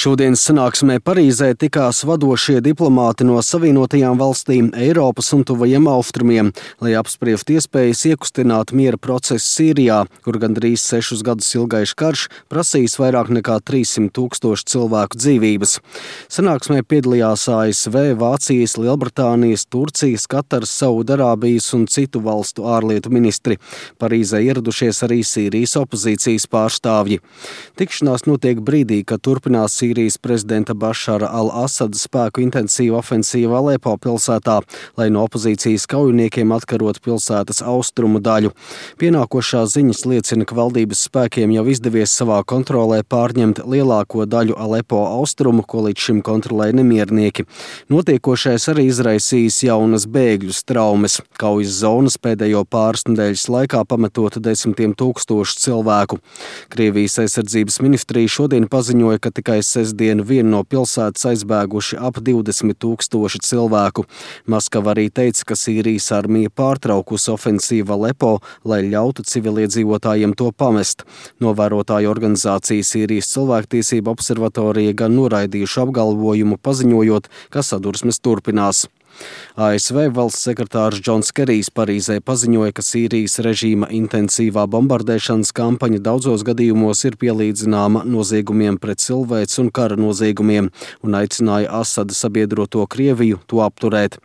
Šodienas sanāksmē Parīzē tikās vadošie diplomāti no Savienotajām valstīm, Eiropas un Tuvajiem Austrumiem, lai apspriestu iespējas iekustināt miera procesu Sīrijā, kur gandrīz 6 gadus ilgais karš prasījis vairāk nekā 300 000 cilvēku dzīvības. Sanāksmē piedalījās ASV, Vācijas, Lielbritānijas, Turcijas, Kataras, Saudarābijas un citu valstu ārlietu ministri. Parīzē ieradušies arī Sīrijas opozīcijas pārstāvji. Tikšanās notiek brīdī, kad turpinās Sīrijas prezidenta Bašara al-Asada spēku intensīva ofensīva Alepo pilsētā, lai no opozīcijas kaujiniekiem atkarot pilsētas austrumu daļu. Pienākošās ziņas liecina, ka valdības spēkiem jau izdevies savā kontrolē pārņemt lielāko daļu Alepo austrumu, ko līdz šim kontrolēja nemiernieki. Notiekošais arī izraisījis jaunas bēgļu traumas. Kaujas zonas pēdējo pāris nedēļas laikā pametot desmitiem tūkstošu cilvēku. Krievijas aizsardzības ministrija šodien paziņoja, ka tikai sestdienu vienu no pilsētas aizbēguši ap 20 000 cilvēku. Maskava arī teica, ka Sīrijas armija pārtraukusi ofensīvu Alepo, lai ļautu civiliedzīvotājiem to pamest. Novērotāju organizācija Sīrijas cilvēktiesība observatorija gan noraidījuši apgalvojumu, paziņojot, ka sadursmes turpinās. ASV valsts sekretārs Džons Kerijs Parīzē paziņoja, ka Sīrijas režīma intensīvā bombardēšanas kampaņa daudzos gadījumos ir pielīdzināma noziegumiem pret cilvēci un kara noziegumiem, un aicināja Asada sabiedroto Krieviju to apturēt.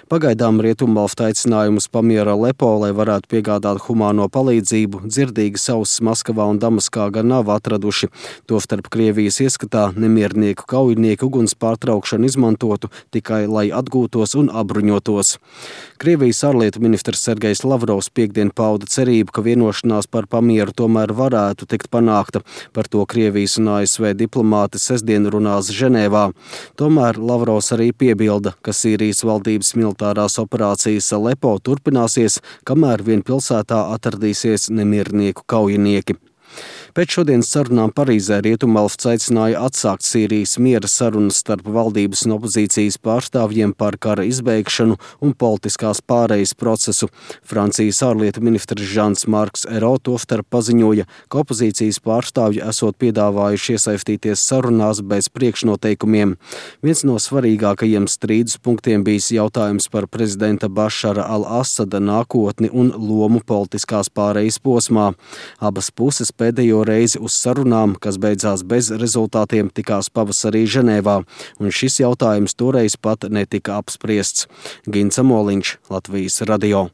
Pagaidām Rietumvalstu aicinājumus pamiera Alepo, lai varētu piegādāt humāno palīdzību, dzirdīgas ausis Maskavā un Damaskā gan nav atraduši. Tostarp Krievijas ieskatā nemiernieku kaujinieki uguns pārtraukšanu izmantotu tikai, lai atgūtos un apbruņotos. Krievijas ārlietu ministrs Sergejs Lavrovs piektdien pauda cerību, ka vienošanās par pamieru tomēr varētu tikt panākta. Par to Krievijas un ASV diplomāti sestdien runās Ženēvā. Tomēr Lavrovs arī piebilda, ka Sīrijas valdības militārās operācijas Alepo turpināsies, kamēr vien pilsētā atradīsies nemiernieku kaujinieki. Pēc šodienas sarunām Parīzē Rietumvalsts aicināja atsākt Sīrijas miera sarunas starp valdības un opozīcijas pārstāvjiem par kara izbeigšanu un politiskās pārejas procesu. Francijas ārlietu ministrs Žans-Marks Ayrault tostarp paziņoja, ka opozīcijas pārstāvji esot piedāvājuši iesaistīties sarunās bez priekšnoteikumiem. Viens no svarīgākajiem strīdus punktiem bijis jautājums par prezidenta Bašara al-Asada nākotni un lomu politiskās pārejas posmā. Abas puses pēdējo reizi uz sarunām, kas beidzās bez rezultātiem, tikās pavasarī Ženēvā, un šis jautājums toreiz pat netika apspriests. Gins Amoliņš, Latvijas radio.